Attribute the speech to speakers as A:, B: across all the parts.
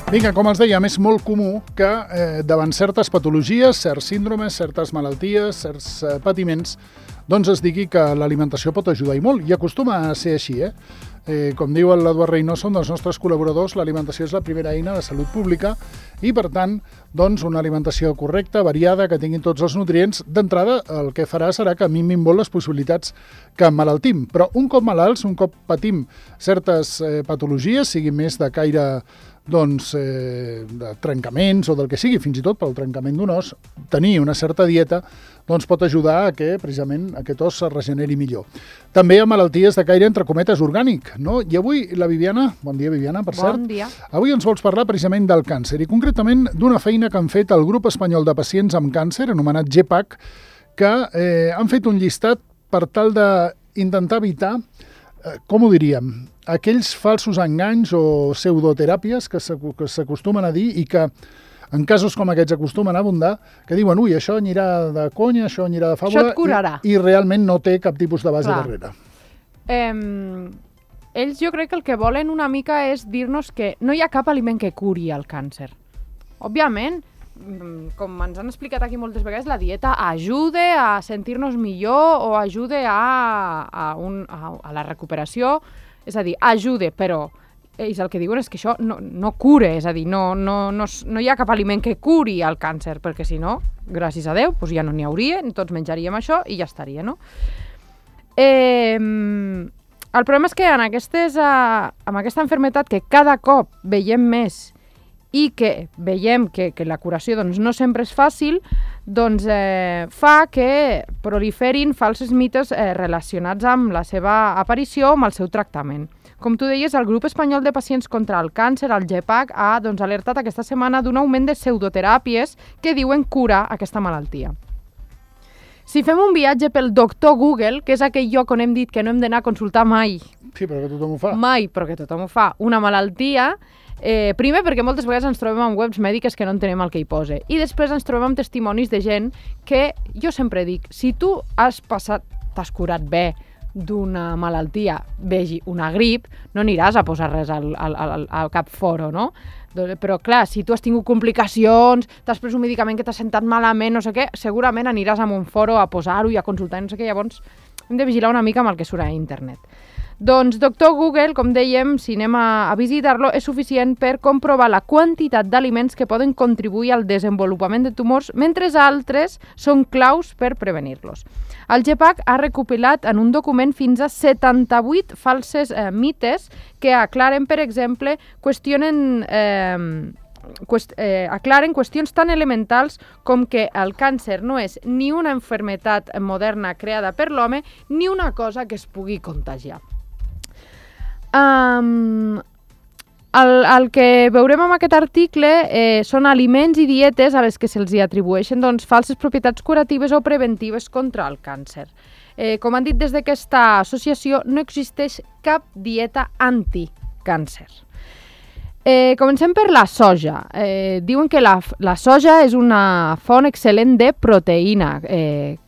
A: Vinga, com els dèiem, és molt comú que davant certes patologies, certs síndromes, certes malalties, certs patiments, doncs es digui que l'alimentació pot ajudar i molt, i acostuma a ser així, Com diu l'Eduard Reynoso, un dels nostres col·laboradors, l'alimentació és la primera eina de salut pública i, per tant, doncs, una alimentació correcta, variada, que tingui tots els nutrients, d'entrada el que farà serà que minvin molt les possibilitats que emmalaltim. Però un cop malalts, un cop patim certes patologies, siguin més de caire de trencaments o del que sigui, fins i tot pel trencament d'un os, tenir una certa dieta doncs pot ajudar a que precisament aquest os es regeneri millor. També hi ha malalties de caire, entre cometes, orgànic, no? I avui la Viviana, bon dia Viviana, per cert.
B: Bon dia.
A: Avui ens vols parlar precisament del càncer i concretament d'una feina que han fet el grup espanyol de pacients amb càncer, anomenat GEPAC, que han fet un llistat per tal d'intentar evitar, com ho diríem, aquells falsos enganys o pseudoteràpies que s'acostumen a dir i que en casos com aquests acostumen a abundar, que diuen, ui, això anirà de conya, això anirà de fàbula,
B: això et curarà.
A: I realment no té cap tipus de base darrere.
B: Ells jo crec que el que volen una mica és dir-nos que no hi ha cap aliment que curi el càncer. Òbviament, com ens han explicat aquí moltes vegades, la dieta ajuda a sentir-nos millor o ajuda a la recuperació, és a dir, ajuda, però ells el que diuen és que això no cura, és a dir, no hi ha cap aliment que curi el càncer, perquè si no, gràcies a Déu, doncs ja no n'hi hauria, tots menjaríem això i ja estaria, no? El problema és que amb aquesta malaltia que cada cop veiem més i que veiem que la curació doncs, no sempre és fàcil, doncs fa que proliferin falsos mites relacionats amb la seva aparició o amb el seu tractament. Com tu deies, el grup espanyol de pacients contra el càncer, el GEPAC, ha alertat aquesta setmana d'un augment de pseudoteràpies que diuen curar aquesta malaltia. Si fem un viatge pel doctor Google, que és aquell lloc on hem dit que no hem d'anar a consultar mai.
A: Sí, però que tothom ho fa.
B: Mai, però que tothom ho fa. Una malaltia, primer perquè moltes vegades ens trobem amb webs mèdiques que no entenem el que hi posa. I després ens trobem amb testimonis de gent que, jo sempre dic, si tu t'has curat bé d'una malaltia, vegi una grip, no aniràs a posar res al cap foro, no? Però clar, si tu has tingut complicacions, t'has pres un medicament que t'ha sentat malament, no sé què, segurament aniràs a un foro a posar-ho i a consultar, no sé què, llavors hem de vigilar una mica amb el que surt a internet. Doncs doctor Google, com dèiem, si anem a visitar-lo, és suficient per comprovar la quantitat d'aliments que poden contribuir al desenvolupament de tumors, mentre altres són claus per prevenir-los. El GEPAC ha recopilat en un document fins a 78 falses mites que aclaren, per exemple, aclaren qüestions tan elementals com que el càncer no és ni una malaltia moderna creada per l'home ni una cosa que es pugui contagiar. El que veurem en aquest article són aliments i dietes a les que se'ls atribueixen falses propietats curatives o preventives contra el càncer. Com han dit des d'aquesta associació, no existeix cap dieta anticàncer. Comencem per la soja. Diuen que la soja és una font excel·lent de proteïna.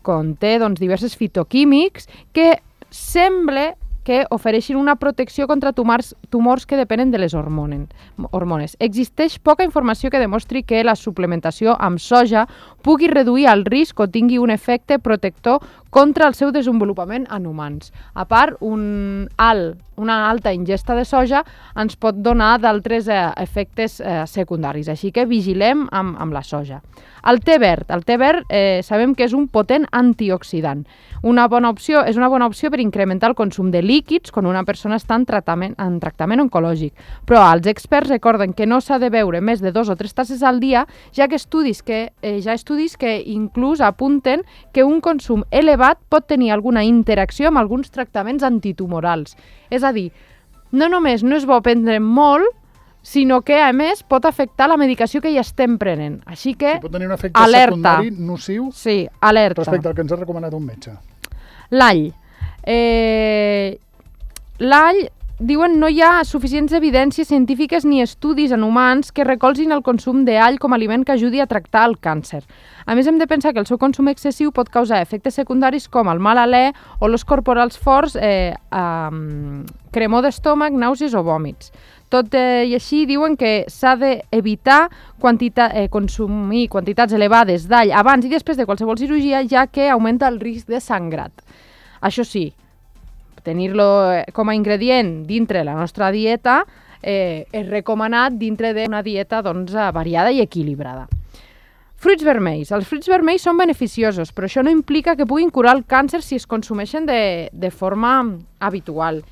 B: Conté diversos fitoquímics que sembla que ofereixin una protecció contra tumors que depenen de les hormones. Existeix poca informació que demostri que la suplementació amb soja pugui reduir el risc o tingui un efecte protector contra el seu desenvolupament en humans. A part, una alta ingesta de soja ens pot donar d'altres efectes secundaris, així que vigilem amb la soja. El te verd sabem que és un potent antioxidant. És una bona opció per incrementar el consum de líquids quan una persona està en tractament oncològic. Però els experts recorden que no s'ha de beure més de 2 o 3 tasses al dia, ja que estudis que inclús apunten que un consum elevat pot tenir alguna interacció amb alguns tractaments antitumorals. És a dir, no només no és bo prendre molt, sinó que, a més, pot afectar la medicació que ja estem prenent. Així que,
A: pot tenir un efecte secundari nociu respecte al que ens ha recomanat un metge.
B: L'all. L'all diuen no hi ha suficients evidències científiques ni estudis en humans que recolzin el consum d'all com a aliment que ajudi a tractar el càncer. A més, hem de pensar que el seu consum excessiu pot causar efectes secundaris com el mal alè, olors corporals forts, cremor d'estómac, nàusees o vòmits. Tot i així, diuen que s'ha d'evitar consumir quantitats elevades d'all abans i després de qualsevol cirurgia, ja que augmenta el risc de sangrat. Això sí, tenir-lo com a ingredient dintre la nostra dieta és recomanat dintre d'una dieta variada i equilibrada. Fruits vermells. Els fruits vermells són beneficiosos, però això no implica que puguin curar el càncer si es consumeixen de forma habitual.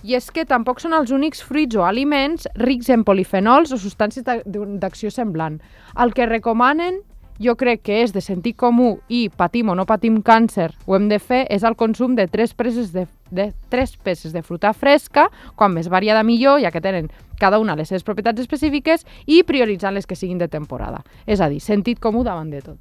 B: I és que tampoc són els únics fruits o aliments rics en polifenols o substàncies d'acció semblant. El que recomanen, jo crec que és de sentit comú i patim o no patim càncer, ho hem de fer, és el consum de 3 peces de fruita fresca, quan més variada millor, ja que tenen cada una les seves propietats específiques, i prioritzant les que siguin de temporada. És a dir, sentit comú davant de tot.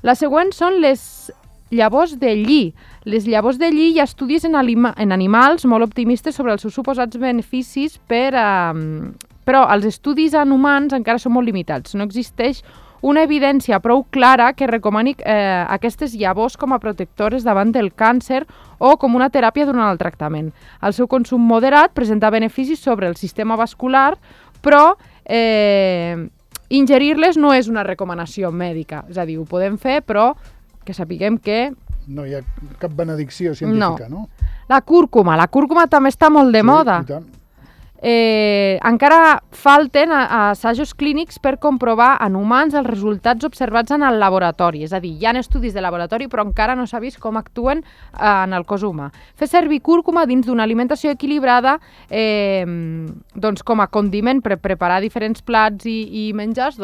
B: La següent són les llavors de lli. Les llavors de lli hi ha estudis en animals molt optimistes sobre els seus suposats beneficis, però els estudis en humans encara són molt limitats. No existeix una evidència prou clara que recomani aquestes llavors com a protectores davant del càncer o com una teràpia durant el tractament. El seu consum moderat presenta beneficis sobre el sistema vascular, però ingerir-les no és una recomanació mèdica. És a dir, ho podem fer, però que sapiguem que...
A: No hi ha cap benedicció científica, no?
B: La cúrcuma també està molt de moda.
A: I tant.
B: Encara falten assajos clínics per comprovar en humans els resultats observats en el laboratori. És a dir, hi ha estudis de laboratori, però encara no s'ha vist com actuen en el cos humà. Fer servir cúrcuma dins d'una alimentació equilibrada com a condiment per preparar diferents plats i menjars,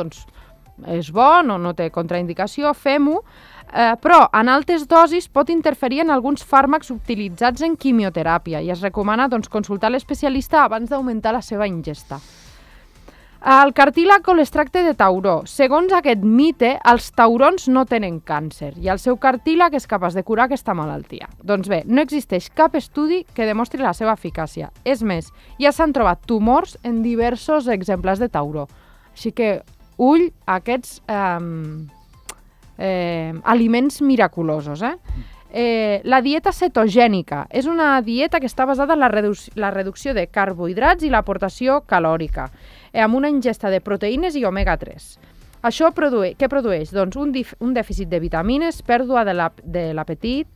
B: és bo, no té contraindicació, fem-ho, però en altes dosis pot interferir en alguns fàrmacs utilitzats en quimioteràpia i es recomana consultar l'especialista abans d'augmentar la seva ingesta. El cartílag o l'extracte de tauró. Segons aquest mite, els taurons no tenen càncer i el seu cartílag és capaç de curar aquesta malaltia. Doncs bé, no existeix cap estudi que demostri la seva eficàcia. És més, ja s'han trobat tumors en diversos exemples de tauró. Així que, ull a aquests aliments miraculosos. La dieta cetogènica és una dieta que està basada en la reducció de carbohidrats i l'aportació calòrica, amb una ingesta de proteïnes i omega-3. Això què produeix? Doncs un dèficit de vitamines, pèrdua de l'apetit,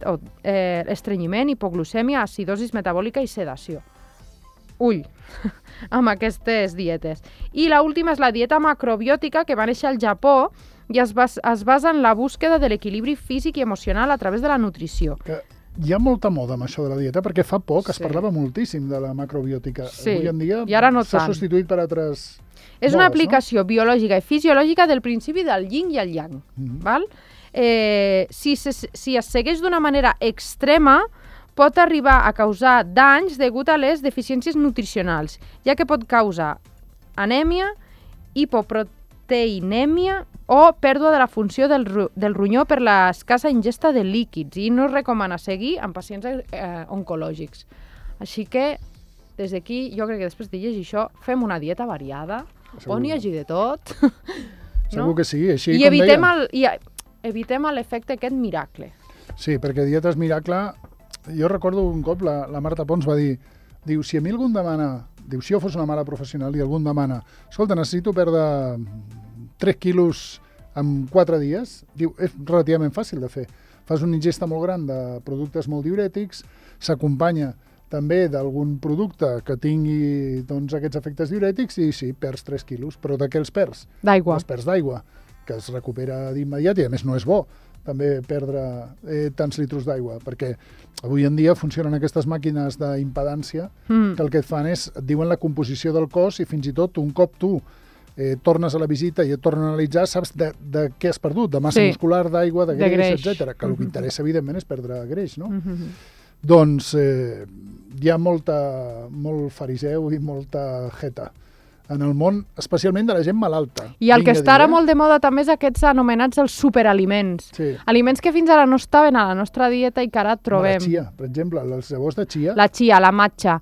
B: estrenyiment, hipoglucèmia, acidosi metabòlica i sedació. Ull, amb aquestes dietes. I l'última és la dieta macrobiòtica, que va néixer al Japó i es basa en la búsqueda de l'equilibri físic i emocional a través de la nutrició.
A: Hi ha molta moda amb això de la dieta, perquè fa poc es parlava moltíssim de la macrobiòtica.
B: Sí,
A: avui en dia
B: i ara no
A: s'ha
B: tant.
A: substituït per altres
B: És una aplicació biològica i fisiològica del principi del yin i el yang. Val? Si es segueix d'una manera extrema, pot arribar a causar danys degut a les deficiències nutricionals, ja que pot causar anèmia, hipoproteinèmia o pèrdua de la funció del ronyó per l'escassa ingesta de líquids i no es recomana seguir en pacients oncològics. Així que, des d'aquí, jo crec que després de llegir això, fem una dieta variada, on hi hagi de tot.
A: Segur que sí, així
B: I
A: com deia.
B: evitem l'efecte aquest miracle.
A: Sí, perquè dietes miracle... Jo recordo un cop la Marta Pons va dir, si a mi algú em demana, si jo fos una mare professional i algú em demana, escolta, necessito perdre 3 quilos en 4 dies, és relativament fàcil de fer. Fas una ingesta molt gran de productes molt diurètics, s'acompanya també d'algun producte que tingui aquests efectes diurètics i sí, perds 3 quilos, però de què els perds?
B: D'aigua.
A: Els perds d'aigua, que es recupera d'immediat i a més no és bo també perdre tants litros d'aigua, perquè avui en dia funcionen aquestes màquines d'impedància que el que et fan és, et diuen la composició del cos i fins i tot un cop tu tornes a la visita i et tornen a analitzar, saps de què has perdut, de massa muscular, d'aigua, de greix, etc. Que el que interessa, evidentment, és perdre greix, no? Doncs hi ha molt fariseu i molta jeta en el món, especialment de la gent malalta.
B: I el que està ara molt de moda també és aquests anomenats els superaliments.
A: Sí.
B: Aliments que fins ara no estaven a la nostra dieta i que ara trobem.
A: La chia, per exemple, les llavors de chia.
B: La chia, la matxa,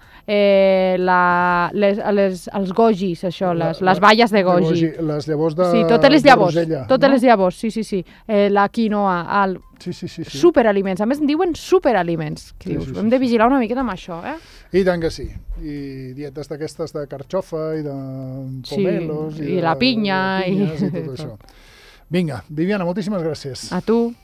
B: els gojis, això, les baies de goji.
A: Les llavors de
B: sí, totes les llavors,
A: rosella,
B: totes
A: no?
B: les llavors, sí. La quinoa,
A: Sí.
B: superaliments. A més, en diuen superaliments.
A: Sí.
B: Hem de vigilar una miqueta amb això, eh?
A: I tant que sí. I dietes d'aquestes de carxofa i de pomelos.
B: I la pinya.
A: I tot això. Vinga, Viviana, moltíssimes gràcies.
B: A tu.